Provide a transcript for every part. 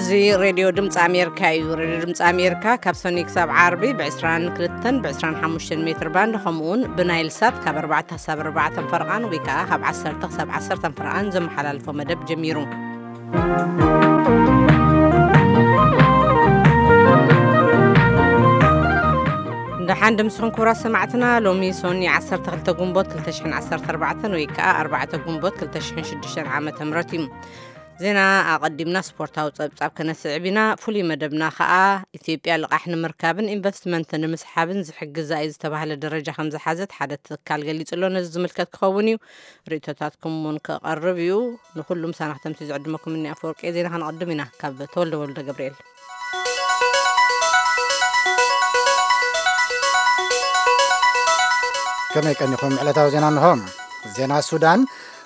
እዚ ሬድዮ ድምፂ ኣሜሪካ እዩ። ሬድዮ ድምፂ ኣሜሪካ ካብ ሰኑይ ክሳብ ዓርቢ ብ22ን ብ25 ሜትር ባንድ፣ ከምኡውን ብናይል ሳት ካብ ኣርባዕተ ክሳብ ኣርባዕተ ፈረቓን ወይ ከዓ ካብ ዓሰርተ ክሳብ ዓሰርተ ፈረቓን ዘመሓላልፎ መደብ ጀሚሩ። ደሓን ድምስኹም ክቡራት ሰማዕትና። ሎሚ ሶኒ ዓሰርተ ክልተ ግንቦት ክልተ ሽሕን ዓሰርተ ኣርባዕተን ወይ ከዓ ኣርባዕተ ግንቦት ክልተ ሽሕን ሽዱሽተን ዓመተ ምህረት እዩ። ዜና ኣቐዲምና ስፖርታዊ ጸብጻብ ከነስዕብ ኢና። ፍሉይ መደብና ከኣ ኢትዮጵያ ልቓሕ ንምርካብን ኢንቨስትመንት ንምስሓብን ዝሕግዛ እዩ ዝተባህለ ደረጃ ከም ዝሓዘት ሓደ ትካል ገሊጹ ኣሎ። ነዚ ዝምልከት ክኸውን እዩ። ርእይቶታትኩም እውን ክቐርብ እዩ። ንኹሉ ምሳና ክተምሲ ዝዕድመኩም እኒ ኣፈወርቂ። ዜና ከነቐድም ኢና ካብ ተወልደ ወልደ ገብርኤል። ከመይ ቀኒኹም? ዕለታዊ ዜና እንሆ። ዜና ሱዳን።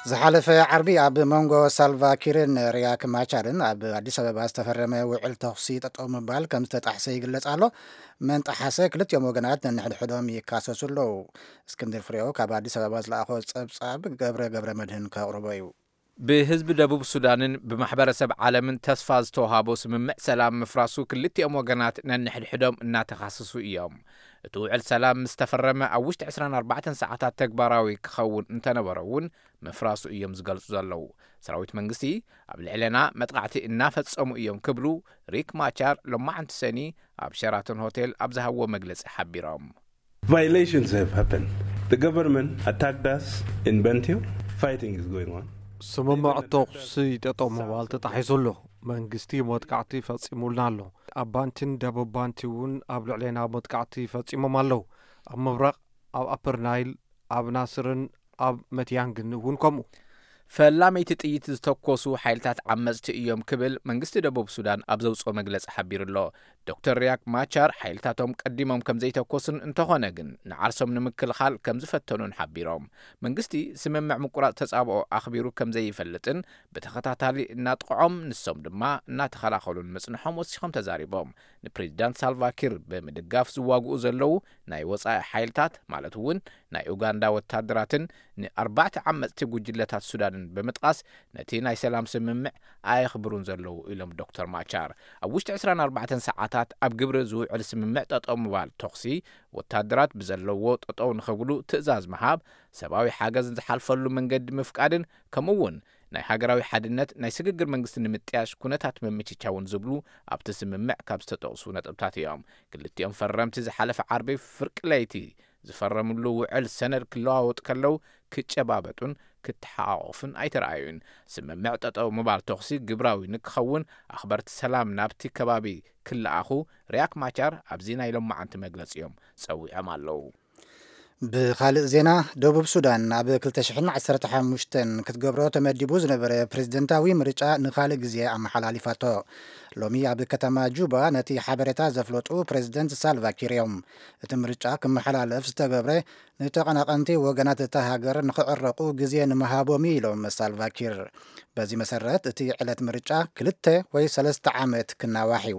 ዝሓለፈ ዓርቢ ኣብ መንጎ ሳልቫ ኪርን ሪያክ ማቻርን ኣብ ኣዲስ ኣበባ ዝተፈረመ ውዕል ተኹሲ ጠጠው ምባል ከም ዝተጣሕሰ ይግለጽ ኣሎ። መን ጠሓሰ? ክልቲኦም ወገናት ነንሕድሕዶም ይካሰሱ ኣለዉ። እስክንድር ፍሬው ካብ ኣዲስ ኣበባ ዝለኣኾ ጸብጻብ ገብረ ገብረ መድህን ከቕርቦ እዩ። ብህዝቢ ደቡብ ሱዳንን ብማሕበረሰብ ዓለምን ተስፋ ዝተውሃቦ ስምምዕ ሰላም ምፍራሱ ክልቲኦም ወገናት ነንሕድሕዶም እናተኻሰሱ እዮም። እቲ ውዕል ሰላም ምስ ተፈረመ ኣብ ውሽጢ ዕስራን ኣርባዕተን ሰዓታት ተግባራዊ ክኸውን እንተነበሮ እውን ምፍራሱ እዮም ዝገልጹ ዘለዉ። ሰራዊት መንግስቲ ኣብ ልዕለና መጥቃዕቲ እናፈጸሙ እዮም ክብሉ ሪክ ማቻር ሎማዓንቲ ሰኒ ኣብ ሸራተን ሆቴል ኣብ ዝሃብዎ መግለጺ ሓቢሮም። Violations have happened. The government attacked us in Bentiu. Fighting is going on. ስምምዕ ተኹሲ ጠጠው ምባል ተጣሒሱ ኣሎ። መንግስቲ መጥቃዕቲ ፈጺሙልና ኣሎ። ኣብ ባንቲን ደቡብ ባንቲ እውን ኣብ ልዕሌና መጥቃዕቲ ፈጺሞም ኣለዉ። ኣብ ምብራቕ፣ ኣብ ኣፐር ናይል፣ ኣብ ናስርን ኣብ መትያንግን እውን ከምኡ። ፈላመይቲ ጥይት ዝተኮሱ ሓይልታት ዓመጽቲ እዮም ክብል መንግስቲ ደቡብ ሱዳን ኣብ ዘውጽኦ መግለጺ ሓቢሩ ኣሎ። ዶክተር ሪያክ ማቻር ሓይልታቶም ቀዲሞም ከም ዘይተኮሱን እንተኾነ ግን ንዓርሶም ንምክልኻል ከም ዝፈተኑን ሓቢሮም። መንግስቲ ስምምዕ ምቁራጽ ተጻብኦ ኣኽቢሩ ከም ዘይፈልጥን ብተኸታታሊ እናጥቕዖም ንሶም ድማ እናተኸላኸሉን ምጽንሖም ወሲኾም ተዛሪቦም። ንፕሬዚዳንት ሳልቫኪር ብምድጋፍ ዝዋግኡ ዘለዉ ናይ ወጻኢ ሓይልታት ማለት እውን ናይ ኡጋንዳ ወታደራትን ንኣርባዕተ ዓመጽቲ ጉጅለታት ሱዳንን ብምጥቃስ ነቲ ናይ ሰላም ስምምዕ ኣየኽብሩን ዘለዉ ኢሎም ዶክተር ማቻር። ኣብ ውሽጢ ዕስራን ኣርባዕተን ሰዓታት ኣብ ግብሪ ዝውዕል ስምምዕ ጠጠው ምባል ተኹሲ፣ ወታደራት ብዘለዎ ጠጠው ንኽብሉ ትእዛዝ ምሃብ፣ ሰብኣዊ ሓገዝ ዝሓልፈሉ መንገዲ ምፍቃድን ከምኡ እውን ናይ ሃገራዊ ሓድነት ናይ ስግግር መንግስቲ ንምጥያሽ ኩነታት ምምችቻውን ዝብሉ ኣብቲ ስምምዕ ካብ ዝተጠቕሱ ነጥብታት እዮም። ክልቲኦም ፈረምቲ ዝሓለፈ ዓርቢ ፍርቂ ለይቲ ዝፈረምሉ ውዕል ሰነድ ክለዋወጡ ከለዉ ክጨባበጡን ክተሓቋቖፉን ኣይተረኣዩን። ስምምዕ ጠጠው ምባል ተኹሲ ግብራዊ ንክኸውን ኣኽበርቲ ሰላም ናብቲ ከባቢ ክለኣኹ ሪያክ ማቻር ኣብዚ ናይ ሎማዓንቲ መግለጺኦም ጸዊዖም ኣለዉ። ብኻልእ ዜና፣ ደቡብ ሱዳን ኣብ ክልተ ሽሕን ዓሰርተ ሓሙሽተን ክትገብሮ ተመዲቡ ዝነበረ ፕሬዝደንታዊ ምርጫ ንኻልእ ግዜ ኣመሓላሊፋቶ። ሎሚ ኣብ ከተማ ጁባ ነቲ ሓበሬታ ዘፍለጡ ፕሬዝደንት ሳልቫ ኪር እዮም። እቲ ምርጫ ክመሓላለፍ ዝተገብረ ንተቐናቐንቲ ወገናት እታ ሃገር ንኽዕረቑ ግዜ ንምሃቦም እዩ ኢሎም ሳልቫ ኪር። በዚ መሰረት እቲ ዕለት ምርጫ ክልተ ወይ ሰለስተ ዓመት ክናዋሕ እዩ።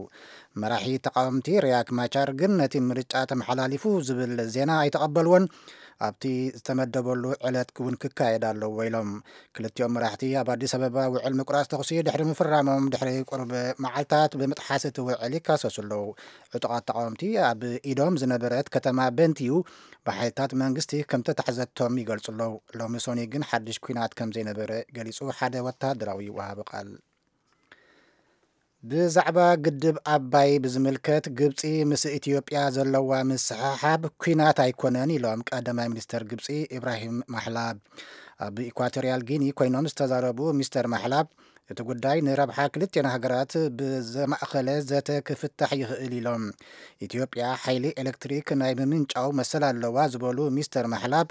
መራሒ ተቓወምቲ ሪያክ ማቻር ግን ነቲ ምርጫ ተመሓላሊፉ ዝብል ዜና ኣይተቐበልዎን። ኣብቲ ዝተመደበሉ ዕለት እውን ክካየድ ኣለዎ ኢሎም። ክልቲኦም መራሕቲ ኣብ ኣዲስ ኣበባ ውዕል ምቁራጽ ተኹሲ ድሕሪ ምፍራሞም ድሕሪ ቁሩብ መዓልታት ብምጥሓስ እቲ ውዕል ይካሰሱ ኣለዉ። ዕጡቓት ተቓወምቲ ኣብ ኢዶም ዝነበረት ከተማ በንቲዩ ብሓይልታት መንግስቲ ከም ተታሕዘቶም ይገልጹ ኣለዉ። ሎሚ ሶኒ ግን ሓድሽ ኲናት ከም ዘይነበረ ገሊጹ ሓደ ወተሃደራዊ ወሃቢ ቃል። ብዛዕባ ግድብ ኣባይ ብዝምልከት ግብጺ ምስ ኢትዮጵያ ዘለዋ ምስሕሓብ ኲናት ኣይኮነን ኢሎም ቀዳማይ ሚኒስተር ግብጺ ኢብራሂም ማሕላብ። ኣብ ኢኳቶሪያል ጊኒ ኮይኖም ዝተዛረቡ ሚስተር ማሕላብ እቲ ጉዳይ ንረብሓ ክልቲኣን ሃገራት ብዘማእኸለ ዘተ ክፍታሕ ይኽእል ኢሎም። ኢትዮጵያ ሓይሊ ኤሌክትሪክ ናይ ምምንጫው መሰል ኣለዋ ዝበሉ ሚስተር ማሕላብ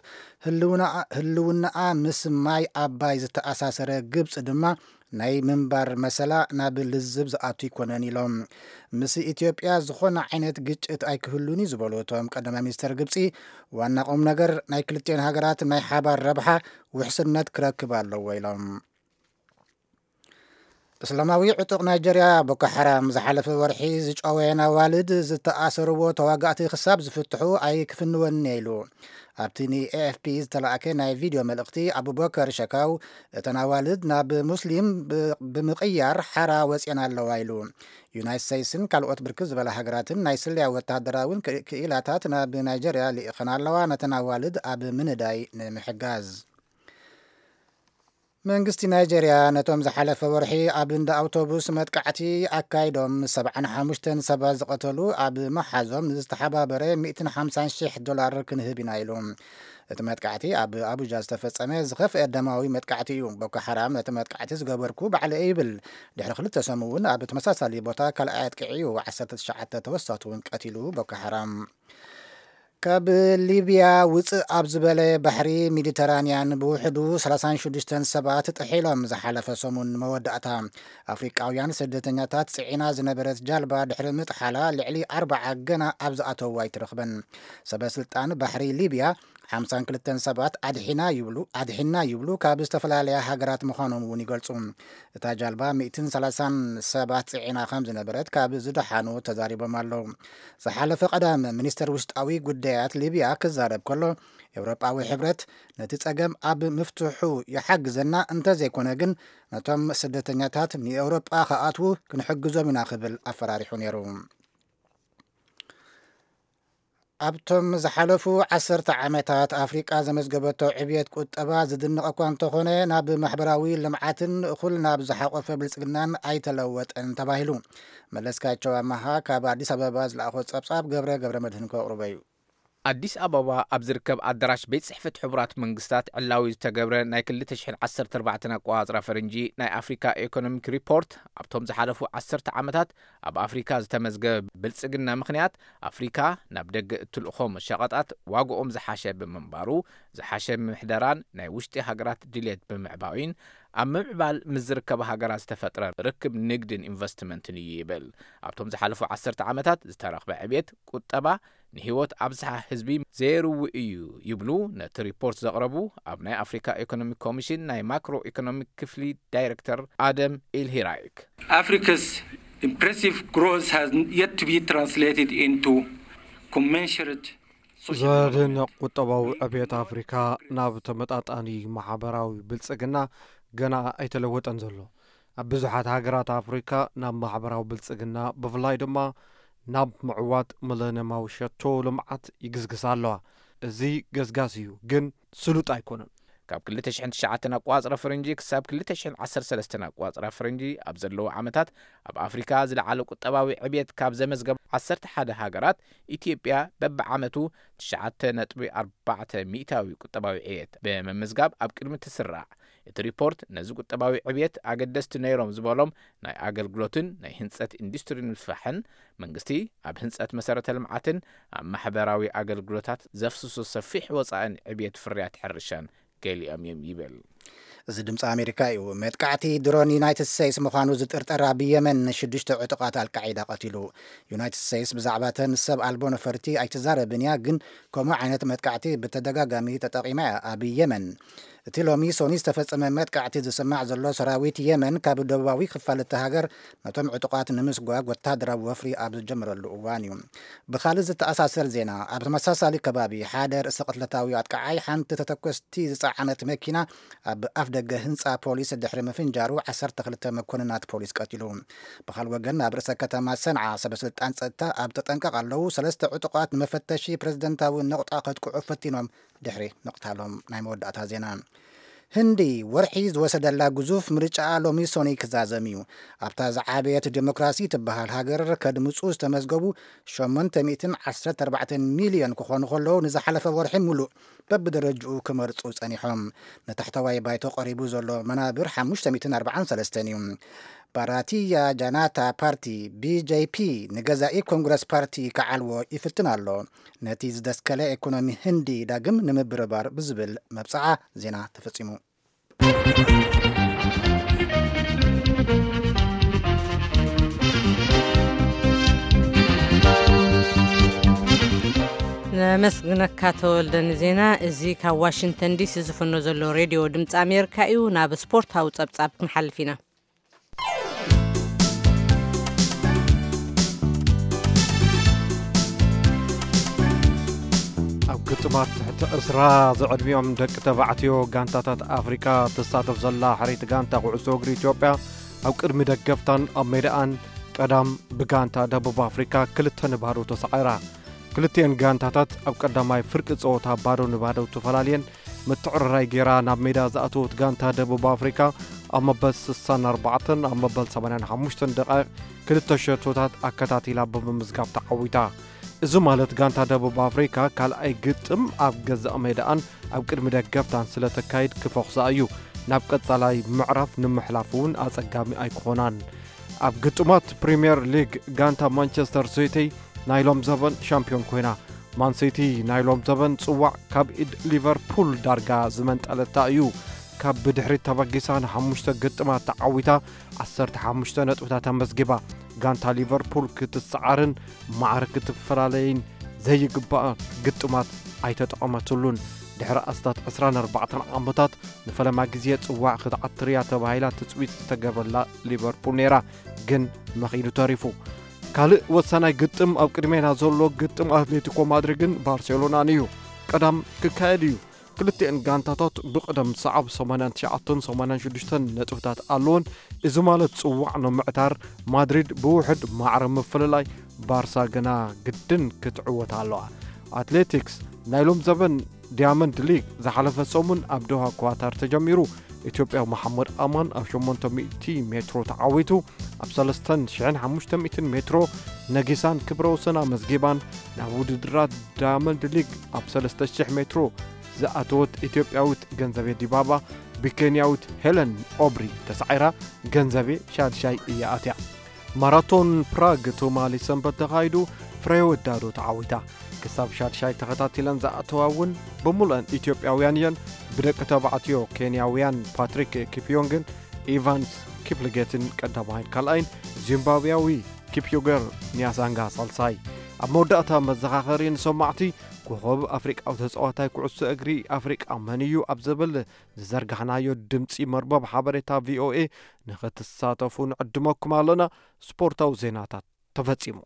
ህልውና-፣ ህልውናኣ ምስ ማይ ኣባይ ዝተኣሳሰረ ግብጺ ድማ ናይ ምንባር መሰላ ናብ ልዝብ ዝኣቱ ኣይኮነን ኢሎም። ምስ ኢትዮጵያ ዝኾነ ዓይነት ግጭት ኣይክህሉን እዩ ዝበሉ እቶም ቀዳማይ ሚኒስተር ግብጺ ዋና ቁም ነገር ናይ ክልቲኣን ሃገራት ናይ ሓባር ረብሓ ውሕስነት ክረክብ ኣለዎ ኢሎም። እስላማዊ ዕጡቕ ናይጀርያ ቦኮ ሓራም ዝሓለፈ ወርሒ ዝጨወየን ኣዋልድ ዝተኣሰርዎ ተዋጋእቲ ክሳብ ዝፍትሑ ኣይክፍንወን ኢሉ። ኣብቲ ን ኤ ኤፍ ፒ ዝተላእከ ናይ ቪድዮ መልእኽቲ፣ ኣቡበከር ሸካው እተን ኣዋልድ ናብ ሙስሊም ብ-፣ ብምቕያር ሓራ ወፅየን ኣለዋ ኢሉ። ዩናይትድ ስቴትስን ካልኦት ብርክት ዝበላ ሃገራትን ናይ ስለያ ወተሃደራውን ክእ-፣ ክኢላታት ናብ ናይጀርያ ልኢኸን ኣለዋ፣ ነተን ኣዋልድ ኣብ ምንዳይ ንምሕጋዝ። መንግስቲ ናይጀርያ ነቶም ዝሓለፈ ወርሒ ኣብ እንዳ ኣውቶቡስ መጥቃዕቲ ኣካይዶም ሰብዓን ሓሙሽተን ሰባት ዝቐተሉ ኣብ መሓዞም ንዝተሓባበረ ሚእትን ሓምሳን ሽሕ ዶላር ክንህብ ኢና ኢሉ። እቲ መጥቃዕቲ ኣብ ኣቡጃ ዝተፈጸመ ዝኸፍአ ደማዊ መጥቃዕቲ እዩ። ቦኮ ሓራም ነቲ መጥቃዕቲ ዝገበርኩ ባዕለ ይብል። ድሕሪ ክልተ ሰሙን እውን ኣብ ተመሳሳሊ ቦታ ካልኣይ ኣጥቂዑ እዩ። ዓሰርተ ትሽዓተ ተወሳቱ እውን ቀቲሉ ቦኮ ሓራም። ካብ ሊብያ ውፅእ ኣብ ዝበለ ባሕሪ ሜዲተራንያን ብውሕዱ ሰላሳን ሽዱሽተን ሰባት ጥሒሎም ዝሓለፈ ሰሙን መወዳእታ። ኣፍሪቃውያን ስደተኛታት ጽዒና ዝነበረት ጃልባ ድሕሪ ምጥሓላ ልዕሊ ኣርባዓ ገና ኣብ ዝኣተዉ ኣይትረኽበን። ሰበ ስልጣን ባሕሪ ሊብያ ሓምሳን ክልተን ሰባት ኣድሒና ይብሉ፣ ኣድሒና ይብሉ ካብ ዝተፈላለያ ሃገራት ምዃኖም እውን ይገልጹ። እታ ጃልባ ሚእትን ሰላሳን ሰባት ጽዒና ከም ዝነበረት ካብ ዝደሓኑ ተዛሪቦም ኣለዉ። ዝሓለፈ ቀዳም ሚኒስተር ውሽጣዊ ጉዳያት ሊብያ ክዛረብ ከሎ፣ ኤውሮጳዊ ሕብረት ነቲ ጸገም ኣብ ምፍትሑ ይሓግዘና፣ እንተዘይኮነ ግን ነቶም ስደተኛታት ንኤውሮጳ ክኣትዉ ክንሕግዞም ኢና ክብል ኣፈራሪሑ ነይሩ። ኣብቶም ዝሓለፉ ዓሰርተ ዓመታት ኣፍሪቃ ዘመዝገበቶ ዕብየት ቁጠባ ዝድነቕ እኳ እንተኾነ፣ ናብ ማሕበራዊ ልምዓትን እኹል ናብ ዝሓቆፈ ብልጽግናን ኣይተለወጠን ተባሂሉ። መለስካቸው ኣማሃ ካብ ኣዲስ ኣበባ ዝለኣኾ ጸብጻብ ገብረ ገብረ መድህን ከቕርቦ እዩ። ኣዲስ ኣበባ ኣብ ዝርከብ ኣዳራሽ ቤት ጽሕፈት ሕቡራት መንግስታት ዕላዊ ዝተገብረ ናይ ክልተ ሽሕን ዓሰርተ ኣርባዕተን ኣቆጻጽራ ፈረንጂ ናይ ኣፍሪካ ኢኮኖሚክ ሪፖርት፣ ኣብቶም ዝሓለፉ ዓሰርተ ዓመታት ኣብ ኣፍሪካ ዝተመዝገበ ብልጽግና ምኽንያት ኣፍሪካ ናብ ደገ እትልእኾም ሸቐጣት ዋግኦም ዝሓሸ ብምንባሩ፣ ዝሓሸ ምሕደራን ናይ ውሽጢ ሃገራት ድልየት ብምዕባዩን ኣብ ምምዕባል ምስ ዝርከባ ሃገራት ዝተፈጥረ ርክብ ንግድን ኢንቨስትመንትን እዩ ይብል። ኣብቶም ዝሓለፉ ዓሰርተ ዓመታት ዝተረኽበ ዕብየት ቁጠባ ንህይወት ኣብዝሓ ህዝቢ ዘይርዊ እዩ ይብሉ ነቲ ሪፖርት ዘቕረቡ ኣብ ናይ ኣፍሪካ ኢኮኖሚክ ኮሚሽን ናይ ማክሮ ኢኮኖሚክ ክፍሊ ዳይሬክተር ኣደም ኢልሂራይክ። Africa's impressive growth has yet to be translated into commensurate social ዘደንቕ ቁጠባዊ ዕብየት ኣፍሪካ ናብ ተመጣጣኒ ማሕበራዊ ብልጽግና ገና ኣይተለወጠን ዘሎ። ኣብ ብዙሓት ሃገራት ኣፍሪካ ናብ ማሕበራዊ ብልጽግና፣ ብፍላይ ድማ ናብ ምዕዋት ሚለንየማዊ ሸቶ ልምዓት ይግስግሳ ኣለዋ። እዚ ገስጋስ እዩ፣ ግን ስሉጥ ኣይኮነን። ካብ ክልተ ሽሕን ትሽዓተን ኣቆጻጽራ ፈረንጂ ክሳብ ክልተ ሽሕን ዓሰርተ ሰለስተን ኣቆጻጽራ ፈረንጂ ኣብ ዘለዉ ዓመታት፣ ኣብ ኣፍሪካ ዝለዓለ ቁጠባዊ ዕብየት ካብ ዘመዝገባ ዓሰርተ ሓደ ሃገራት፣ ኢትዮጵያ በብዓመቱ ትሽዓተ ነጥቢ ኣርባዕተ ሚእታዊ ቁጠባዊ ዕብየት ብምምዝጋብ ኣብ ቅድሚ ትስራዕ። እቲ ሪፖርት ነዚ ቁጠባዊ ዕብየት ኣገደስቲ ነይሮም ዝበሎም ናይ ኣገልግሎትን ናይ ህንጸት ኢንዱስትሪ ንምስፋሕን፣ መንግስቲ ኣብ ህንጸት መሰረተ ልምዓትን ኣብ ማሕበራዊ ኣገልግሎታት ዘፍስሶ ሰፊሕ ወጻእን ዕብየት ፍርያት ሕርሻን ገሊኦም እዮም ይብል። እዚ ድምፂ ኣሜሪካ እዩ። መጥቃዕቲ ድሮን ዩናይትድ ስቴትስ ምዃኑ ዝጥርጠር ኣብ የመን ንሽዱሽተ ዕጡቓት ኣልቃዒዳ ቀቲሉ። ዩናይትድ ስቴትስ ብዛዕባ ተን ሰብ ኣልቦ ነፈርቲ ኣይትዛረብን እያ፣ ግን ከምኡ ዓይነት መጥቃዕቲ ብተደጋጋሚ ተጠቒማ እያ። ኣብ የመን እቲ ሎሚ ሶኒ ዝተፈጸመ መጥቃዕቲ ዝስማዕ ዘሎ፣ ሰራዊት የመን ካብ ደቡባዊ ክፋል እቲ ሃገር ነቶም ዕጡቓት ንምስጓግ ወተሃደራዊ ወፍሪ ኣብ ዝጀመረሉ እዋን እዩ። ብኻልእ ዝተኣሳሰር ዜና፣ ኣብ ተመሳሳሊ ከባቢ ሓደ ርእሰ ቅትለታዊ ኣጥቃዓይ ሓንቲ ተተኮስቲ ዝጸዓነት መኪና ኣብ ኣፍ ደገ ህንጻ ፖሊስ ድሕሪ ምፍንጃሩ ዓሰርተ ክልተ መኮንናት ፖሊስ ቀቲሉ። ብኻልእ ወገን፣ ኣብ ርእሰ ከተማ ሰንዓ ሰበ ስልጣን ጸጥታ ኣብ ተጠንቀቕ ኣለዉ። ሰለስተ ዕጡቓት ንመፈተሺ ፕሬዝደንታዊ ነቑጣ ከጥቅዑ ፈቲኖም ድሕሪ ምቕታሎም። ናይ መወዳእታ ዜና። ህንዲ ወርሒ ዝወሰደላ ግዙፍ ምርጫ ሎሚ ሶኒ ክዛዘም እዩ። ኣብታ ዝዓበየት ዴሞክራሲ ትበሃል ሃገር ከድምፁ ዝተመዝገቡ ሸሞንተ ሚእትን ዓሰርተ ኣርባዕተን ሚልዮን ክኾኑ ከለዉ፣ ንዝሓለፈ ወርሒ ሙሉእ በብደረጅኡ ክመርፁ ጸኒሖም። ንታሕተዋይ ባይቶ ቀሪቡ ዘሎ መናብር ሓሙሽተ ሚእትን ኣርባዓን ሰለስተን እዩ። ባራቲያ ጃናታ ፓርቲ፣ ቢ ጄ ፒ፣ ንገዛኢ ኮንግረስ ፓርቲ ክዓልዎ ይፍትን ኣሎ። ነቲ ዝደስከለ ኢኮኖሚ ህንዲ ዳግም ንምብርባር ብዝብል መብጽዓ ዜና ተፈጺሙ። ነመስግነካ ተወልደ ንዜና። እዚ ካብ ዋሽንግተን ዲሲ ዝፍኖ ዘሎ ሬድዮ ድምፂ ኣሜሪካ እዩ። ናብ ስፖርታዊ ጸብጻብ ክንሓልፍ ኢና። ግጥማት ትሕቲ ዕስራ ዝዕድሚኦም ደቂ ተባዕትዮ ጋንታታት ኣፍሪቃ ትሳተፍ ዘላ ሕርይቲ ጋንታ ኩዕሶ እግሪ ኢትዮጵያ፣ ኣብ ቅድሚ ደገፍታን ኣብ ሜዳኣን ቀዳም ብጋንታ ደቡብ ኣፍሪቃ ክልተ ንባዶ ተሳዒራ። ክልቲኤን ጋንታታት ኣብ ቀዳማይ ፍርቂ ጸወታ ባዶ ንባዶ ተፈላልየን ምትዕርራይ ጌራ ናብ ሜዳ ዝኣተወት ጋንታ ደቡብ ኣፍሪቃ፣ ኣብ መበል ስሳን ኣርባዕተን ኣብ መበል ሰማንያን ሓሙሽተን ደቃይቕ ክልተ ሸቶታት ኣከታቲላ ብምምዝጋብ ተዓዊታ። እዚ ማለት ጋንታ ደቡብ ኣፍሪካ ካልኣይ ግጥም ኣብ ገዛእ ሜዳኣን ኣብ ቅድሚ ደገፍታን ስለ ተካይድ ክፈኹሳ እዩ። ናብ ቀጻላይ ምዕራፍ ንምሕላፍ እውን ኣጸጋሚ ኣይክኾናን። ኣብ ግጥማት ፕሪምየር ሊግ ጋንታ ማንቸስተር ሲቲ ናይ ሎም ዘበን ሻምፒዮን ኮይና። ማን ሲቲ ናይ ሎም ዘበን ጽዋዕ ካብ ኢድ ሊቨርፑል ዳርጋ ዝመንጠለታ እዩ። ካብ ብድሕሪት ተበጊሳ ንሓሙሽተ ግጥማት ተዓዊታ ዓሰርተ ሓሙሽተ ነጥብታት ኣመዝጊባ። ጋንታ ሊቨርፑል ክትሰዓርን ማዕረ ክትፈላለይን ዘይግባኣ ግጥማት ኣይተጠቐመትሉን። ድሕሪ ኣስታት ዕስራን ኣርባዕተን ዓመታት ንፈለማ ግዜ ጽዋዕ ክትዓትር እያ ተባሂላ ትጽቢት ዝተገብረላ ሊቨርፑል ነይራ፣ ግን መኺኑ ተሪፉ። ካልእ ወሳናይ ግጥም ኣብ ቅድሜና ዘሎ ግጥም ኣትሌቲኮ ማድሪድን ባርሴሎናን እዩ። ቀዳም ክካየድ እዩ። ክልቲኤን ጋንታታት ብቕደም ሰዓብ ሰማንያን ትሽዓተን ሰማንያን ሽዱሽተን ነጥብታት ኣለወን። እዚ ማለት ጽዋዕ ንምዕታር ማድሪድ ብውሑድ ማዕረ ምፍልላይ፣ ባርሳ ግና ግድን ክትዕወት ኣለዋ። ኣትሌቲክስ ናይ ሎም ዘበን ዲያመንድ ሊግ ዝሓለፈ ሰሙን ኣብ ዶሃ ኳታር ተጀሚሩ። ኢትዮጵያዊ መሓመድ ኣማን ኣብ ሸሞንተ ሚእቲ ሜትሮ ተዓዊቱ፣ ኣብ ሰለስተ ሽሕን ሓሙሽተ ሚእትን ሜትሮ ነጊሳን ክብረ ወሰን ኣመዝጊባን። ናብ ውድድራት ዳያመንድ ሊግ ኣብ ሰለስተ ሽሕ ሜትሮ ዝኣተወት ኢትዮጵያዊት ገንዘቤ ዲባባ ብኬንያዊት ሄለን ኦብሪ ተሳዒራ፣ ገንዘቤ ሻድሻይ እያ ኣትያ። ማራቶን ፕራግ ትማሊ ሰንበት ተኻይዱ፣ ፍሬህይወት ዳዶ ተዓዊታ። ክሳብ ሻድሻይ ተኸታቲለን ዝኣተዋ እውን ብምሉአን ኢትዮጵያውያን እየን። ብደቂ ተባዕትዮ ኬንያውያን ፓትሪክ ኪፕዮንግን ኢቫንስ ኪፕልጌትን ቀዳማይን ካልኣይን፣ ዚምባብያዊ ኪፕዮገር ኒያሳንጋ ሳልሳይ። ኣብ መወዳእታ መዘኻኸሪ ንሰማዕቲ፣ ኮኸብ ኣፍሪቃዊ ተጻዋታይ ኩዕሶ እግሪ ኣፍሪቃ መን እዩ ኣብ ዝብል ዝዘርጋሕናዮ ድምጺ መርበብ ሓበሬታ ቪኦኤ ንኽትሳተፉ ንዕድመኩም ኣለና። ስፖርታዊ ዜናታት ተፈጺሙ።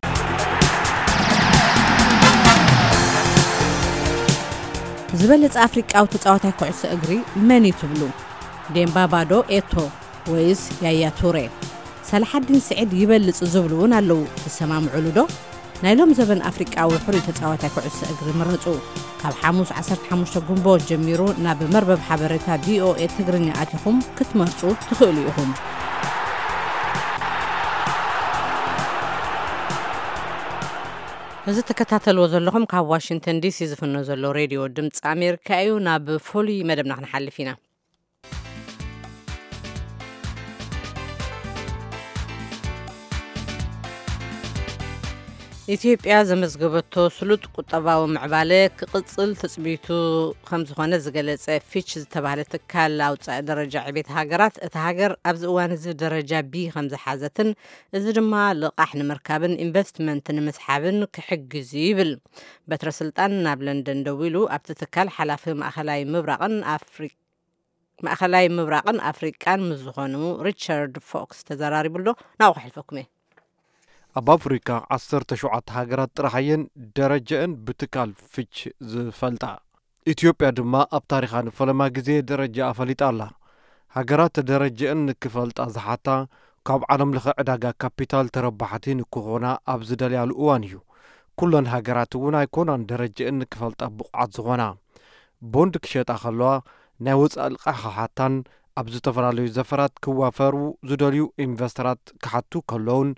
ዝበለጸ ኣፍሪቃዊ ተጻዋታይ ኩዕሶ እግሪ መን እዩ ትብሉ? ዴምባባ ዶ ኤቶ ወይስ ያያ ቱሬ? ሰላሓዲን ስዒድ ይበልጽ ዝብሉ እውን ኣለዉ። ትሰማምዑሉ ዶ? ናይ ሎም ዘበን ኣፍሪቃዊ ሕሩይ ተጻዋታይ ኩዕሶ እግሪ ምረጹ። ካብ ሓሙስ ዓሰርተ ሓሙሽተ ጉንቦት ጀሚሩ ናብ መርበብ ሓበሬታ ቪኦኤ ትግርኛ ኣቲኹም ክትመርጹ ትኽእሉ ኢኹም። እዚ ትከታተልዎ ዘለኹም ካብ ዋሽንግተን ዲሲ ዝፍኖ ዘሎ ሬድዮ ድምፂ ኣሜሪካ እዩ። ናብ ፍሉይ መደብና ክንሓልፍ ኢና። ኢትዮጵያ ዘመዝገበቶ ስሉጥ ቁጠባዊ ምዕባለ ክቕጽል ትጽቢቱ ከም ዝኾነ ዝገለጸ ፊች ዝተባህለ ትካል ኣውጻኢ ደረጃ ዕቤት ሃገራት፣ እታ ሃገር ኣብዚ እዋን እዚ ደረጃ ቢ ከም ዝሓዘትን፣ እዚ ድማ ልቓሕ ንምርካብን ኢንቨስትመንት ንምስሓብን ክሕግዝ እዩ ይብል። በትረ ስልጣን ናብ ለንደን ደዊሉ ኣብቲ ትካል ሓላፊ ማእኸላይ ምብራቕን ኣፍሪ-፣ ማእኸላይ ምብራቕን ኣፍሪቃን ምስ ዝኾኑ ሪቻርድ ፎክስ ተዘራሪቡ ኣሎ። ናብኡ ከሕልፈኩም እየ። ኣብ ኣፍሪካ ዓሰርተ ሸውዓተ ሃገራት ጥራሕ እየን ደረጃአን ብትካል ፊች ዝፈልጣ። ኢትዮጵያ ድማ ኣብ ታሪኻ ንፈለማ ግዜ ደረጃኣ ፈሊጣ ኣላ። ሃገራት ደረጃአን ንክፈልጣ ዝሓታ፣ ካብ ዓለም ለኸ ዕዳጋ ካፒታል ተረባሕቲ ንክኾና ኣብ ዝደልያሉ እዋን እዩ። ኩለን ሃገራት እውን ኣይኮናን ደረጃአን ንክፈልጣ ብቑዓት ዝኾና። ቦንድ ክሸጣ ከለዋ፣ ናይ ወፃኢ ልቓሕ ክሓታን ኣብ ዝተፈላለዩ ዘፈራት ክዋፈሩ ዝደልዩ ኢንቨስተራት ክሓቱ ከለውን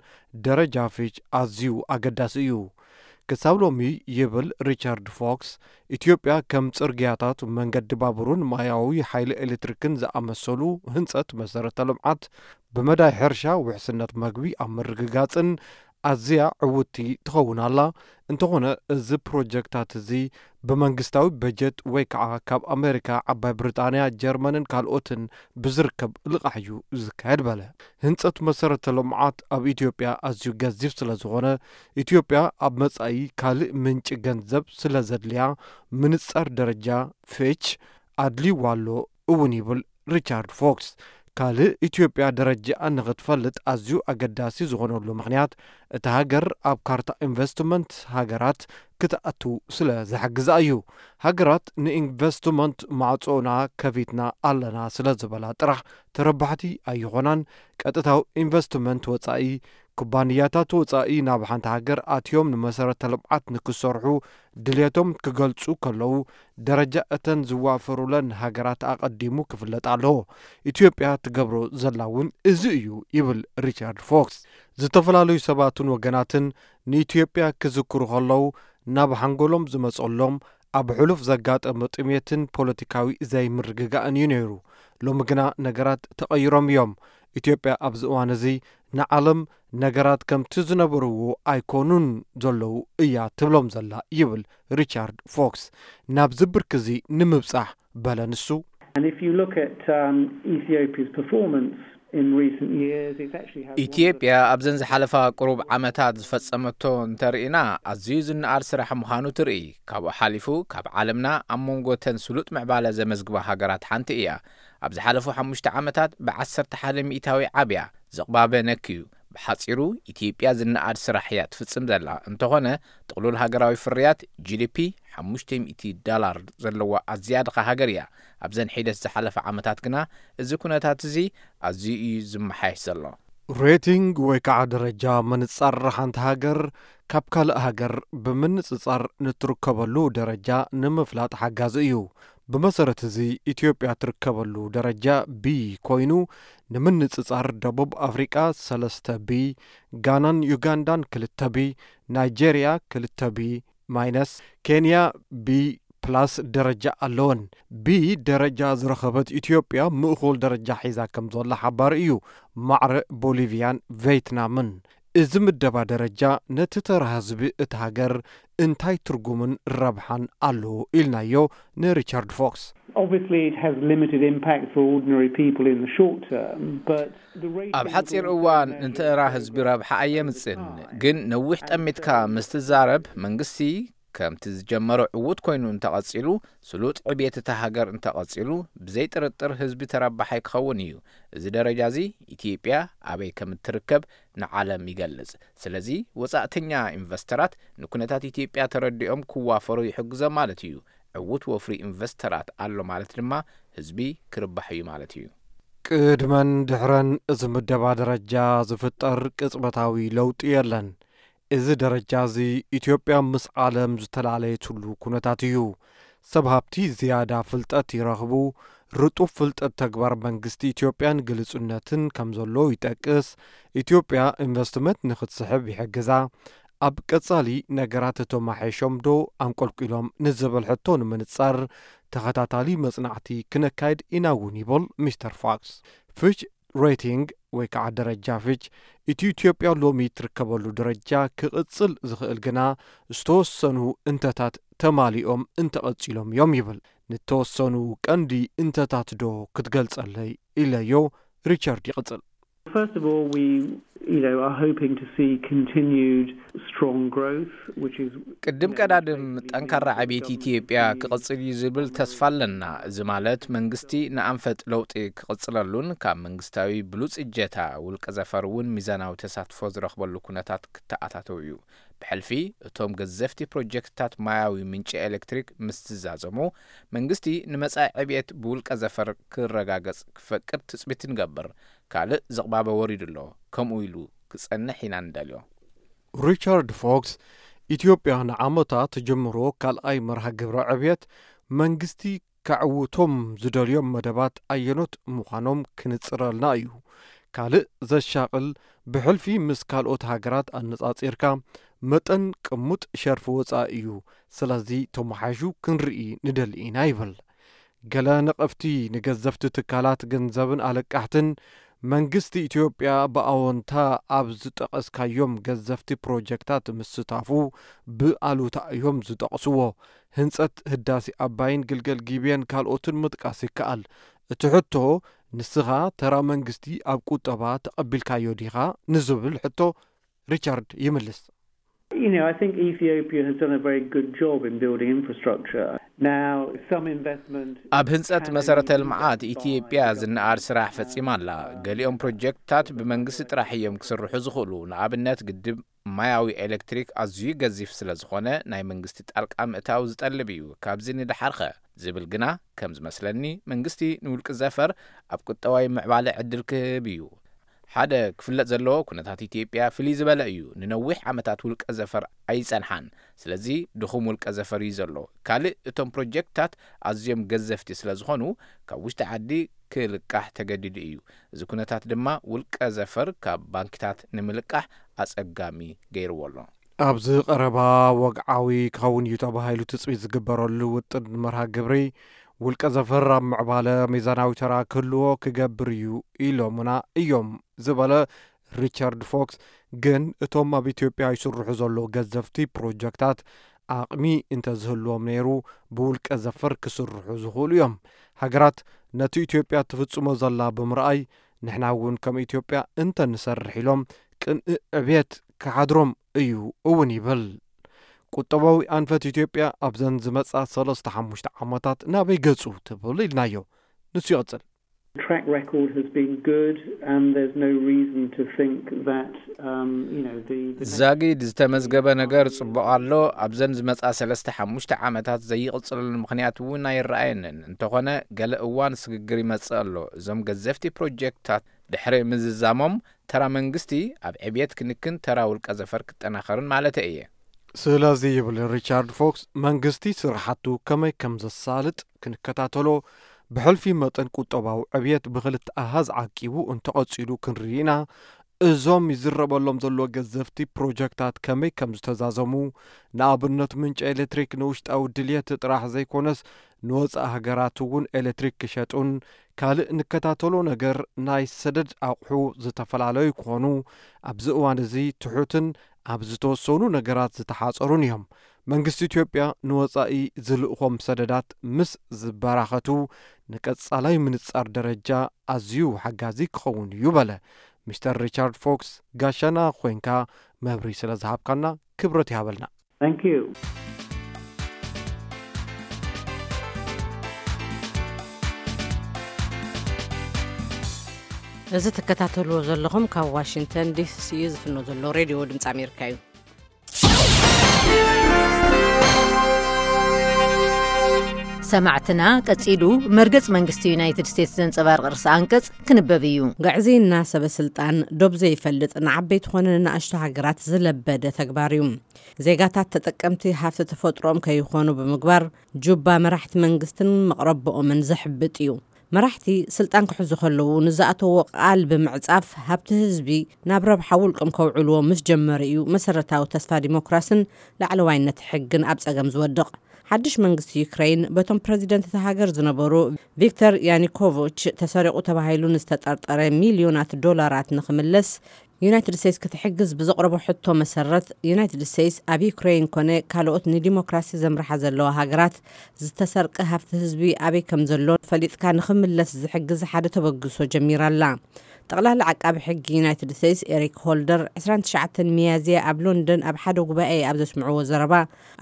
ደረጃ ፊች ኣዝዩ ኣገዳሲ እዩ። ክሳብ ሎሚ፣ ይብል ሪቻርድ ፎክስ፣ ኢትዮጵያ ከም ጽርግያታት፣ መንገዲ ባቡርን ማያዊ ሓይሊ ኤሌክትሪክን ዝኣመሰሉ ህንጸት መሰረተ ልምዓት፣ ብመዳይ ሕርሻ፣ ውሕስነት መግቢ ኣብ ምርግጋጽን ኣዝያ ዕውትቲ ትኸውን ኣላ። እንተኾነ፣ እዚ ፕሮጀክታት እዚ ብመንግስታዊ በጀት ወይ ከዓ ካብ ኣሜሪካ፣ ዓባይ ብሪጣንያ፣ ጀርመንን ካልኦትን ብዝርከብ ልቓሕ እዩ ዝካየድ በለ። ህንጸት መሰረተ ልምዓት ኣብ ኢትዮጵያ ኣዝዩ ገዚፍ ስለ ዝኾነ፣ ኢትዮጵያ ኣብ መጻኢ ካልእ ምንጪ ገንዘብ ስለ ዘድልያ፣ ምንጻር ደረጃ ፊች ኣድልይዋ ኣሎ እውን ይብል ሪቻርድ ፎክስ። ካልእ ኢትዮጵያ ደረጃኣ ንኽትፈልጥ ኣዝዩ ኣገዳሲ ዝኾነሉ ምኽንያት፣ እታ ሃገር ኣብ ካርታ ኢንቨስትመንት ሃገራት ክትኣቱ ስለ ዝሕግዛ እዩ። ሃገራት ንኢንቨስትመንት ማዕጾና ከፊትና ኣለና ስለ ዝበላ ጥራሕ ተረባሕቲ ኣይኾናን። ቀጥታዊ ኢንቨስትመንት ወጻኢ፣ ኩባንያታት ወጻኢ ናብ ሓንቲ ሃገር ኣትዮም ንመሰረተ ልምዓት ንክሰርሑ ድልየቶም ክገልጹ ከለዉ፣ ደረጃ እተን ዝዋፈሩለን ሃገራት ኣቐዲሙ ክፍለጥ ኣለዎ። ኢትዮጵያ ትገብሮ ዘላ እውን እዚ እዩ ይብል ሪቻርድ ፎክስ። ዝተፈላለዩ ሰባትን ወገናትን ንኢትዮጵያ ክዝክሩ ከለዉ፣ ናብ ሓንጎሎም ዝመጸሎም ኣብ ሕሉፍ ዘጋጠመ ጥሜትን ፖለቲካዊ ዘይምርግጋእን እዩ ነይሩ። ሎሚ ግና ነገራት ተቐይሮም እዮም። ኢትዮጵያ ኣብዚ እዋን እዚ ንዓለም ነገራት ከምቲ ዝነበርዎ ኣይኮኑን ዘለዉ እያ ትብሎም ዘላ ይብል ሪቻርድ ፎክስ። ናብዚ ብርኪ እዚ ንምብጻሕ በለ ንሱ። And if you look at um, Ethiopia's performance in recent years, it's actually had one of the ኢትዮጵያ ኣብዘን ዝሓለፋ ቅሩብ ዓመታት ዝፈጸመቶ እንተርኢና ኣዝዩ ዝነኣድ ስራሕ ምዃኑ ትርኢ። ካብኡ ሓሊፉ ካብ ዓለምና ኣብ መንጎ ተን ስሉጥ ምዕባለ ዘመዝግባ ሃገራት ሓንቲ እያ። ኣብ ዝሓለፉ ሓሙሽተ ዓመታት ብዓሰርተ ሓደ ሚእታዊ ዓብያ ዝቕባበ ነክዩ። ብሓጺሩ ኢትዮጵያ ዝነኣድ ስራሕ እያ ትፍጽም ዘላ። እንተኾነ ጥቕሉል ሃገራዊ ፍርያት ጂ ዲ ፒ ሓሙሽተ ሚእቲ ዳላር ዘለዋ ኣዝያ ድኻ ሃገር እያ። ኣብዘን ሒደት ዝሓለፈ ዓመታት ግና እዚ ኩነታት እዚ ኣዝዩ እዩ ዝመሓየሽ ዘሎ። ሬቲንግ ወይ ከዓ ደረጃ ምንጻር ሓንቲ ሃገር ካብ ካልእ ሃገር ብምንጽጻር ንትርከበሉ ደረጃ ንምፍላጥ ሓጋዚ እዩ። ብመሰረት እዚ ኢትዮጵያ ትርከበሉ ደረጃ ቢ ኮይኑ፣ ንምንጽጻር ደቡብ ኣፍሪቃ ሰለስተ ቢ፣ ጋናን ዩጋንዳን ክልተ ቢ፣ ናይጄርያ ክልተ ቢ ማይነስ፣ ኬንያ ቢ ፕላስ ደረጃ ኣለወን። ቢ ደረጃ ዝረኸበት ኢትዮጵያ ምእኹል ደረጃ ሒዛ ከም ዘላ ሓባሪ እዩ። ማዕረ ቦሊቪያን ቬትናምን። እዚ ምደባ ደረጃ ነቲ ተራ ህዝቢ እቲ ሃገር እንታይ ትርጉምን ረብሓን ኣለዎ ኢልናዮ ንሪቻርድ ፎክስ። Obviously, it has limited impact for ordinary people in the short term, but the rate ኣብ ሓጺር እዋን ንተራ ህዝቢ ረብሓ ኣየምጽን፣ ግን ነዊሕ ጠሚትካ ምስ ትዛረብ መንግስቲ ከምቲ ዝጀመሮ ዕዉት ኮይኑ እንተቐጺሉ፣ ስሉጥ ዕብየት እታ ሃገር እንተቐጺሉ፣ ብዘይ ጥርጥር ህዝቢ ተረባሓይ ክኸውን እዩ። እዚ ደረጃ እዚ ኢትዮጵያ ኣበይ ከም እትርከብ ንዓለም ይገልጽ። ስለዚ ወጻእተኛ ኢንቨስተራት ንኩነታት ኢትዮጵያ ተረዲኦም ክዋፈሩ ይሕግዞም ማለት እዩ። ዕዉት ወፍሪ ኢንቨስተራት ኣሎ ማለት ድማ ህዝቢ ክርባሕ እዩ ማለት እዩ። ቅድመን ድሕረን እዚ ምደባ ደረጃ ዝፍጠር ቅጽበታዊ ለውጢ የለን። እዚ ደረጃ እዚ ኢትዮጵያ ምስ ዓለም ዝተላለየትሉ ኩነታት እዩ። ሰብ ሃብቲ ዝያዳ ፍልጠት ይረኽቡ። ርጡብ ፍልጠት ተግባር መንግስቲ ኢትዮጵያን ግልጹነትን ከም ዘሎ ይጠቅስ። ኢትዮጵያ ኢንቨስትመንት ንክትስሕብ ይሕግዛ። ኣብ ቀጻሊ ነገራት ተማሓይሾም ዶ ኣንቆልቂሎም ንዝብል ሕቶ ንምንጻር ተኸታታሊ መጽናዕቲ ክነካይድ ኢና እውን ይብል ሚስተር ፎክስ። ፊች ሬቲንግ ወይ ከዓ ደረጃ ፊች እቲ ኢትዮጵያ ሎሚ ትርከበሉ ደረጃ ክቕጽል ዝኽእል ግና ዝተወሰኑ እንተታት ተማሊኦም እንተቐጺሎም እዮም ይብል። ንተወሰኑ ቀንዲ እንተታት ዶ ክትገልጸለይ ኢለዮ ሪቻርድ ይቕጽል። First of all, we you know are hoping to see continued strong growth, which is ቅድም ቀዳድም ጠንካራ ዕብየት ኢትዮጵያ ክቕጽል እዩ ዝብል ተስፋ ኣለና። እዚ ማለት መንግስቲ ንኣንፈት ለውጢ ክቕጽለሉን ካብ መንግስታዊ ብሉጽ እጀታ ውልቀ ዘፈር እውን ሚዛናዊ ተሳትፎ ዝረኽበሉ ኩነታት ክተኣታተው እዩ። ብሕልፊ እቶም ገዘፍቲ ፕሮጀክትታት ማያዊ ምንጪ ኤሌክትሪክ ምስ ዝዛዘሙ መንግስቲ ንመጻኢ ዕብየት ብውልቀ ዘፈር ክረጋገጽ ክፈቅድ ትጽቢት ንገብር። ካልእ ዝቕባበ ወሪዱ ኣሎ፣ ከምኡ ኢሉ ክጸንሕ ኢና ንደልዮ። ሪቻርድ ፎክስ ኢትዮጵያ ንዓመታት ትጅምሮ ካልኣይ መርሃ ግብረ ዕብየት መንግስቲ ከዕውቶም ዝደልዮም መደባት ኣየኖት ምዃኖም ክንጽረልና እዩ። ካልእ ዘሻቕል ብሕልፊ ምስ ካልኦት ሃገራት ኣነጻጺርካ መጠን ቅሙጥ ሸርፊ ወጻኢ እዩ። ስለዚ ተመሓይሹ ክንርኢ ንደሊ ኢና ይብል። ገለ ነቐፍቲ ንገዘፍቲ ትካላት ገንዘብን ኣለቃሕትን መንግስቲ ኢትዮጵያ ብኣወንታ ኣብ ዝጠቐስካዮም ገዘፍቲ ፕሮጀክታት ምስታፉ ብኣሉታ እዮም ዝጠቕስዎ። ህንጸት ህዳሴ ኣባይን ግልገል ጊቤን ካልኦትን ምጥቃስ ይከኣል። እቲ ሕቶ ንስኻ ተራ መንግስቲ ኣብ ቁጠባ ተቐቢልካዮ ዲኻ ንዝብል ሕቶ ሪቻርድ ይምልስ። You know, I think Ethiopia has done a very good job in building infrastructure. Now, some investment ኣብ ህንጸት መሰረተ ልምዓት ኢትዮጵያ ዝነኣድ ስራሕ ፈጺማ ኣላ። ገሊኦም ፕሮጀክትታት ብመንግስቲ ጥራሕ እዮም ክስርሑ ዝኽእሉ። ንኣብነት ግድብ ማያዊ ኤሌክትሪክ ኣዝዩ ገዚፍ ስለ ዝኾነ ናይ መንግስቲ ጣልቃ ምእታው ዝጠልብ እዩ። ካብዚ ንደሓርከ ዝብል ግና ከም ዝመስለኒ መንግስቲ ንውልቂ ዘፈር ኣብ ቁጠባዊ ምዕባለ ዕድል ክህብ እዩ። ሓደ ክፍለጥ ዘለዎ ኩነታት ኢትዮጵያ ፍልይ ዝበለ እዩ። ንነዊሕ ዓመታት ውልቀ ዘፈር ኣይጸንሓን። ስለዚ ድኹም ውልቀ ዘፈር እዩ ዘሎ። ካልእ እቶም ፕሮጀክትታት ኣዝዮም ገዘፍቲ ስለ ዝኾኑ ካብ ውሽጢ ዓዲ ክልቃሕ ተገዲዱ እዩ። እዚ ኩነታት ድማ ውልቀ ዘፈር ካብ ባንክታት ንምልቃሕ ኣጸጋሚ ገይርዎ ኣሎ። ኣብዚ ቀረባ ወግዓዊ ክኸውን እዩ ተባሂሉ ትጽቢት ዝግበረሉ ውጥን መርሃ ግብሪ ውልቀ ዘፈር ኣብ ምዕባለ ሚዛናዊ ተራ ክህልዎ ክገብር እዩ ኢሎምና እዮም ዝበለ ሪቻርድ ፎክስ፣ ግን እቶም ኣብ ኢትዮጵያ ይስርሑ ዘለዉ ገዘፍቲ ፕሮጀክታት ዓቕሚ እንተዝህልዎም ነይሩ ብውልቀ ዘፈር ክስርሑ ዝኽእሉ እዮም። ሃገራት ነቲ ኢትዮጵያ ትፍጽሞ ዘላ ብምርኣይ ንሕና እውን ከም ኢትዮጵያ እንተንሰርሕ ኢሎም ቅንኢ ዕብየት ክሓድሮም እዩ እውን ይብል። ቁጠባዊ ኣንፈት ኢትዮጵያ ኣብዘን ዝመጻ ሰለስተ ሓሙሽተ ዓመታት ናበይ ገጹ ትብል ኢልናዮ። ንሱ ይቕጽል። Track record has been good and there's no reason to think that, um, you know, the, the next ዛጊድ ዝተመዝገበ ነገር ጽቡቕ ኣሎ። ኣብዘን ዝመጻ ሰለስተ ሓሙሽተ ዓመታት ዘይቕጽለሉ ምኽንያት እውን ኣይረኣየንን። እንተኾነ ገለ እዋን ስግግር ይመጽእ ኣሎ። እዞም ገዘፍቲ ፕሮጀክትታት ድሕሪ ምዝዛሞም ተራ መንግስቲ ኣብ ዕብየት ክንክን ተራ ውልቀ ዘፈር ክጠናኸርን ማለት እየ። ስለዚ ይብል ሪቻርድ ፎክስ፣ መንግስቲ ስራሓቱ ከመይ ከም ዘሳልጥ ክንከታተሎ፣ ብሕልፊ መጠን ቁጠባዊ ዕብየት ብክልተ ኣሃዝ ዓቂቡ እንተቐጺሉ ክንርኢ ኢና። እዞም ይዝረበሎም ዘሎ ገዘፍቲ ፕሮጀክታት ከመይ ከም ዝተዛዘሙ፣ ንኣብነት ምንጪ ኤሌክትሪክ ንውሽጣዊ ድልየት ጥራሕ ዘይኮነስ ንወጻኢ ሃገራት እውን ኤሌክትሪክ ክሸጡን ካልእ ንከታተሎ ነገር ናይ ሰደድ ኣቑሑ ዝተፈላለዩ ክኾኑ ኣብዚ እዋን እዚ ትሑትን ኣብ ዝተወሰኑ ነገራት ዝተሓጸሩን እዮም። መንግስቲ ኢትዮጵያ ንወጻኢ ዝልእኾም ሰደዳት ምስ ዝበራኸቱ ንቀጻላይ ምንጻር ደረጃ ኣዝዩ ሓጋዚ ክኸውን እዩ በለ። ሚስተር ሪቻርድ ፎክስ፣ ጋሻና ኮይንካ መብሪ ስለ ዝሃብካና ክብረት ይሃበልና። Thank you. እዚ ትከታተልዎ ዘለኹም ካብ ዋሽንግተን ዲሲ ዝፍኖ ዘሎ ሬድዮ ድምፂ ኣሜሪካ እዩ። ሰማዕትና፣ ቀጺሉ መርገጽ መንግስቲ ዩናይትድ ስቴትስ ዘንጸባርቕ ርእሰ ኣንቀጽ ክንበብ እዩ። ግዕዝይና ሰበ ስልጣን ዶብ ዘይፈልጥ ንዓበይቲ ኮነ ንኣሽቱ ሃገራት ዝለበደ ተግባር እዩ። ዜጋታት ተጠቀምቲ ሃፍቲ ተፈጥሮኦም ከይኾኑ ብምግባር ጁባ መራሕቲ መንግስትን መቕረቦኦምን ዘሕብጥ እዩ። መራሕቲ ስልጣን ክሕዙ ከለዉ ንዝኣተዎ ቃል ብምዕጻፍ ሃብቲ ህዝቢ ናብ ረብሓ ውልቆም ከውዕልዎ ምስ ጀመሩ እዩ መሰረታዊ ተስፋ ዲሞክራስን ላዕለዋይነት ሕግን ኣብ ጸገም ዝወድቕ። ሓድሽ መንግስቲ ዩክረይን በቶም ፕረዚደንት እታ ሃገር ዝነበሩ ቪክተር ያኒኮቪች ተሰሪቑ ተባሂሉ ንዝተጠርጠረ ሚልዮናት ዶላራት ንኽምለስ ዩናይትድ ስቴትስ ክትሕግዝ ብዘቕረቦ ሕቶ መሰረት ዩናይትድ ስቴትስ ኣብ ዩክረይን ኮነ ካልኦት ንዲሞክራሲ ዘምርሓ ዘለዋ ሃገራት ዝተሰርቀ ሃፍቲ ህዝቢ ኣበይ ከም ዘሎ ፈሊጥካ ንኽምለስ ዝሕግዝ ሓደ ተበግሶ ጀሚራ ኣላ። ጠቕላሊ ዓቃቢ ሕጊ ዩናይትድ ስቴትስ ኤሪክ ሆልደር ዕስራን ትሽዓተን ሚያዝያ ኣብ ሎንደን ኣብ ሓደ ጉባኤ ኣብ ዘስምዕዎ ዘረባ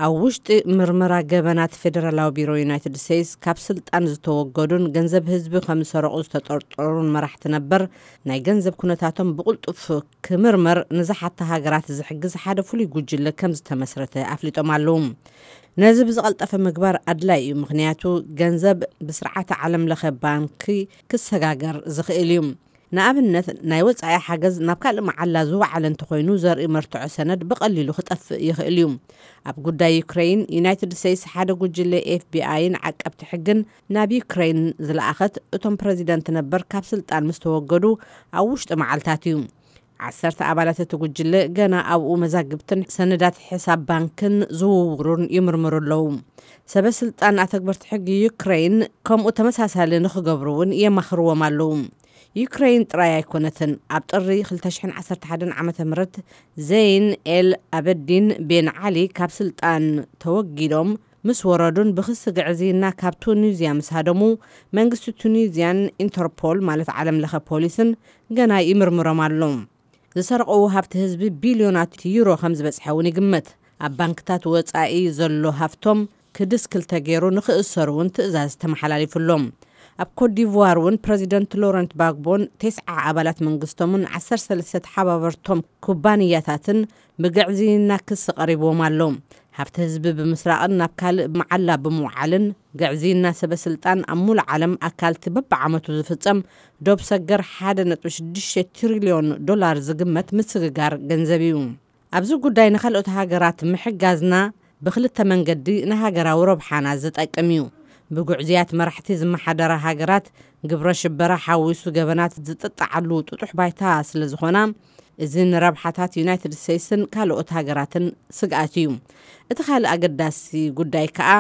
ኣብ ውሽጢ ምርመራ ገበናት ፌደራላዊ ቢሮ ዩናይትድ ስቴትስ ካብ ስልጣን ዝተወገዱን ገንዘብ ህዝቢ ከም ዝሰረቑ ዝተጠርጠሩን መራሕቲ ነበር ናይ ገንዘብ ኩነታቶም ብቕልጡፍ ክምርመር ንዝሓታ ሃገራት ዝሕግዝ ሓደ ፍሉይ ጉጅለ ከም ዝተመስረተ ኣፍሊጦም ኣለዉ። ነዚ ብዝቐልጠፈ ምግባር ኣድላይ እዩ፣ ምኽንያቱ ገንዘብ ብስርዓተ ዓለም ለኸ ባንኪ ክሰጋገር ዝኽእል እዩ። ንኣብነት ናይ ወጻኢ ሓገዝ ናብ ካልእ መዓላ ዝወዓለ እንተኾይኑ ዘርኢ መርትዖ ሰነድ ብቐሊሉ ክጠፍእ ይኽእል እዩ። ኣብ ጉዳይ ዩክረይን ዩናይትድ ስቴትስ ሓደ ጉጅለ ኤፍቢኣይን ዓቀብቲ ሕግን ናብ ዩክረይን ዝለኣኸት እቶም ፕረዚደንት ነበር ካብ ስልጣን ምስ ተወገዱ ኣብ ውሽጢ መዓልታት እዩ። ዓሰርተ ኣባላት እቲ ጉጅለ ገና ኣብኡ መዛግብትን ሰነዳት ሕሳብ ባንክን ዝውውሩን ይምርምሩ ኣለዉ። ሰበ ስልጣን ኣተግበርቲ ሕጊ ዩክረይን ከምኡ ተመሳሳሊ ንኽገብሩ እውን የማኽርዎም ኣለዉ። ዩክረይን ጥራይ ኣይኮነትን። ኣብ ጥሪ ክልተ ሽሕን ዓሰርተ ሓደን ዓመተ ምህረት ዘይን ኤል ኣበዲን ቤን ዓሊ ካብ ስልጣን ተወጊዶም ምስ ወረዱን ብክሲ ግዕዝይና ካብ ቱኒዝያ ምስ ሃደሙ መንግስቲ ቱኒዝያን ኢንተርፖል ማለት ዓለም ለኸ ፖሊስን ገና ይምርምሮም ኣሎ። ዝሰርቐዎ ሃብቲ ህዝቢ ቢልዮናት ዩሮ ከም ዝበጽሐ እውን ይግመት። ኣብ ባንክታት ወጻኢ ዘሎ ሃፍቶም ክድስ ክልተ ገይሩ ንኽእሰሩ እውን ትእዛዝ ተመሓላሊፉሎም። ኣብ ኮትዲቯር እውን ፕረዚደንት ሎረንት ባግቦን ተስዓ ኣባላት መንግስቶምን ዓሰርተ ሰለስተ ተሓባበርቶም ኩባንያታትን ብግዕዝይና ክሲ ቀሪብዎም ኣሎ። ሃፍቲ ህዝቢ ብምስራቕን ናብ ካልእ መዓላ ብምውዓልን ግዕዝይና ሰበ ስልጣን ኣብ ሙሉእ ዓለም ኣካልቲ በብዓመቱ ዝፍጸም ዶብ ሰገር ሓደ ነጥቢ ሽዱሽተ ትሪልዮን ዶላር ዝግመት ምስግጋር ገንዘብ እዩ። ኣብዚ ጉዳይ ንኻልኦት ሃገራት ምሕጋዝና ብኽልተ መንገዲ ንሃገራዊ ረብሓና ዝጠቅም እዩ። ብጉዕዝያት መራሕቲ ዝመሓደራ ሃገራት ግብረ ሽበራ ሓዊሱ ገበናት ዝጥጣዓሉ ጥጡሕ ባይታ ስለ ዝኾና፣ እዚ ንረብሓታት ዩናይትድ ስቴትስን ካልኦት ሃገራትን ስግኣት እዩ። እቲ ካልእ ኣገዳሲ ጉዳይ ከኣ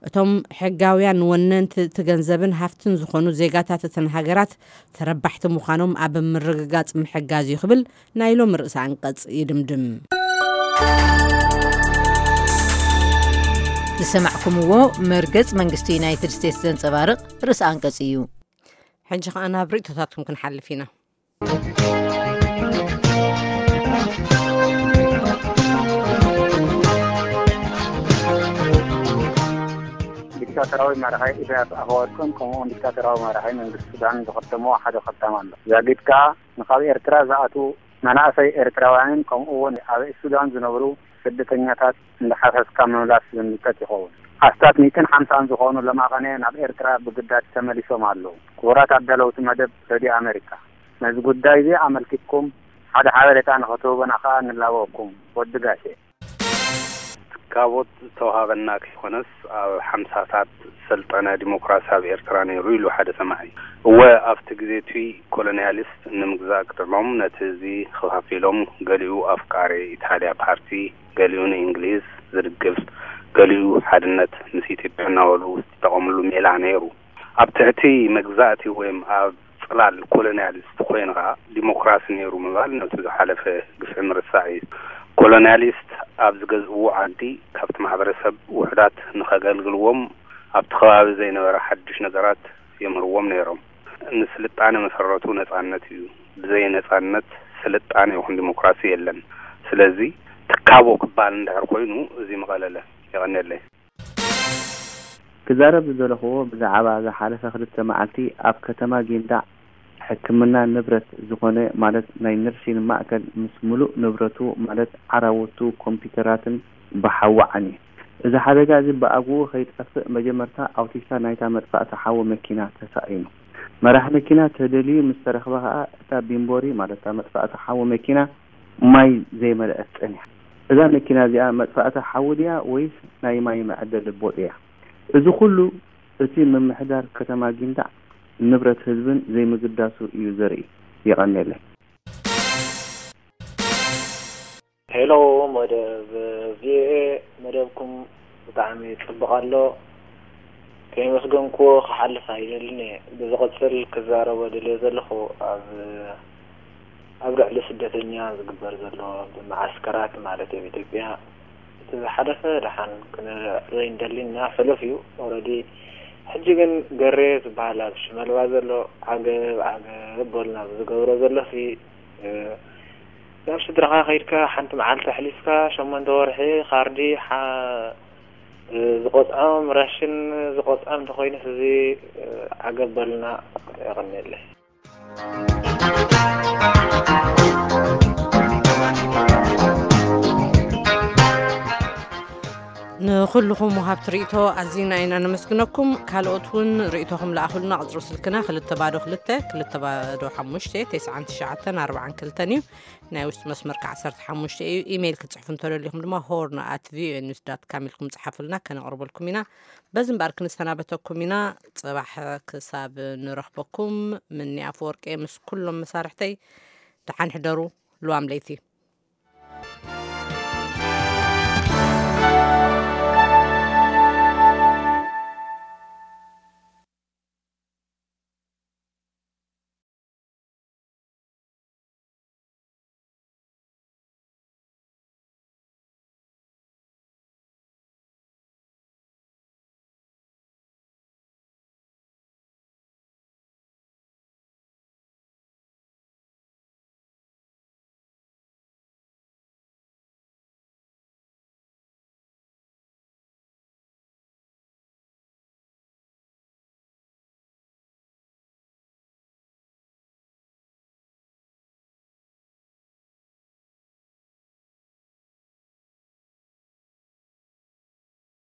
እቶም ሕጋውያን ወነንቲ እቲ ገንዘብን ሃፍትን ዝኾኑ ዜጋታት እተን ሃገራት ተረባሕቲ ምዃኖም ኣብ ምርግጋጽ ምሕጋዝ እዩ ክብል ናይ ሎሚ ርእሰ ኣንቀጽ ይድምድም። ዝሰማዕኩምዎ መርገጽ መንግስቲ ዩናይትድ ስቴትስ ዘንጸባርቕ ርእሰ ኣንቀጽ እዩ። ሕጂ ከኣ ናብ ርእይቶታትኩም ክንሓልፍ ኢና። ዲክታተራዊ መራሒ ኢሳያስ ኣፈወርቅን ከምኡውን ዲክታተራዊ መራሒ መንግስቲ ሱዳን ዝኸተምዎ ሓደ ኸታም ኣሎ። ዛጊድ ከኣ ንኻብ ኤርትራ ዝኣትዉ መናእሰይ ኤርትራውያንን ከምኡውን ኣብ ሱዳን ዝነብሩ ስደተኛታት እንዳሓፈስካ ምምላስ ዝምልከት ይኸውን። ኣስታት ሚእትን ሓምሳን ዝኾኑ ለማቐነ ናብ ኤርትራ ብግዳጅ ተመሊሶም ኣለዉ። ክቡራት ኣዳለውቲ መደብ ሬድዮ ኣሜሪካ፣ ነዚ ጉዳይ እዚ ኣመልኪትኩም ሓደ ሓበሬታ ንኽትህቡና ከኣ ንላበወኩም። ወዲ ጋሼ። ትካቦት ዝተውሃበና ከይኮነስ፣ ኣብ ሓምሳታት ሰልጠነ ዲሞክራሲ ኣብ ኤርትራ ነይሩ ኢሉ ሓደ ሰማዒ። እወ፣ ኣብቲ ግዜ እቱይ ኮሎንያሊስት ንምግዛእ ክጥዕሞም ነቲ ህዝቢ ከፋፊሎም፣ ገሊኡ ኣፍቃሪ ኢታልያ ፓርቲ፣ ገሊኡ ንእንግሊዝ ዝድግፍ፣ ገሊኡ ሓድነት ምስ ኢትዮጵያ እናበሉ ዝጠቐምሉ ሜላ ነይሩ። ኣብ ትሕቲ መግዛእቲ ወይም ኣብ ጽላል ኮሎንያሊስት ኮይኑ ከኣ ዲሞክራሲ ነይሩ ምባል ነቲ ዝሓለፈ ግፍዒ ምርሳዕ እዩ። ኮሎንያሊስት ኣብ ዝገዝእዎ ዓዲ ካብቲ ማሕበረሰብ ውሑዳት ንኸገልግልዎም ኣብቲ ከባቢ ዘይነበረ ሓድሽ ነገራት የምህርዎም ነይሮም። ንስልጣነ መሰረቱ ነጻነት እዩ። ብዘይ ነጻነት ስልጣነ ይኹን ዲሞክራሲ የለን። ስለዚ ትካቦ ክበሃል እንድሕር ኮይኑ እዚ ምቐለለ። የቐንየለይ። ክዛረብ ዝደለኹዎ ብዛዕባ ዝሓለፈ ክልተ መዓልቲ ኣብ ከተማ ጊንዳዕ ሕክምና ንብረት ዝኾነ ማለት ናይ ነርሲን ማእከል ምስ ምሉእ ንብረቱ ማለት ዓራውቱ ኮምፒውተራትን ብሓዊ ዓንዩ። እዚ ሓደጋ እዚ ብኣግኡ ከይጠፍእ መጀመርታ ኣውቲስታ ናይታ መጥፋእቲ ሓዊ መኪና ተሳኢኑ። መራሒ መኪና ተደልዩ ምስ ተረኽበ ከኣ እታ ቢምቦሪ ማለት እታ መጥፋእቲ ሓዊ መኪና ማይ ዘይመልአት ጸኒሓ። እዛ መኪና እዚኣ መጥፋእቲ ሓዊ ድያ ወይስ ናይ ማይ መዐደሊ ቦጥ እያ? እዚ ኩሉ እቲ ምምሕዳር ከተማ ጊንዳዕ ንብረት ህዝብን ዘይምግዳሱ እዩ ዘርኢ። የቐንየለይ። ሄሎ መደብ ቪኦኤ፣ መደብኩም ብጣዕሚ ጽቡቕ ኣሎ። ከየመስገንኩዎ ክሓልፍ ኣይደልን እየ። ብዝቕጽል ክዛረቦ ደልየ ዘለኹ ኣብ ኣብ ልዕሊ ስደተኛ ዝግበር ዘሎ ብመዓስከራት ማለት ኣብ ኢትዮጵያ እቲ ዝሓለፈ ደሓን ክንዕርዮ ኣይንደልን ኢና፣ ሕሉፍ እዩ ኦረዲ። ሕጂ ግን ገሬ ዝበሃል ኣብ ሽመልባ ዘሎ ዓገብ ዓገብ በሉና ዝገብሮ ዘሎሲ ናብ ስድራኻ ከይድካ ሓንቲ መዓልቲ ኣሕሊፍካ ሸሞንተ ወርሒ ካርዲ ዝቆፅዖም ራሽን ዝቆፅዖም እንተኮይኑስ እዚ ዓገብ በሉና። የቐንየለይ። ንኹልኹም ወሃብቲ ርእይቶ ኣዚና ኢና ነመስግነኩም። ካልኦት እውን ርእይቶኹም ለኣኹልና። ቕጽሪ ስልክና ክልተ ባዶ ክልተ ክልተ ባዶ ሓሙሽተ ተስዓን ትሽዓተን ኣርባዓን ክልተን እዩ። ናይ ውሽጢ መስመር ከ ዓሰርተ ሓሙሽተ እዩ። ኢሜይል ክትጽሕፉ እንተደሊኹም ድማ ሆርን ኣት ቪኦኤ ኒውስ ዳት ካም ኢልኩም ጽሓፉልና፣ ከነቕርበልኩም ኢና። በዚ እምበኣር ክንሰናበተኩም ኢና። ጽባሕ ክሳብ ንረኽበኩም ምኒ ኣፈወርቂ ምስ ኩሎም መሳርሕተይ ደሓን ሕደሩ። ልዋም ለይቲ።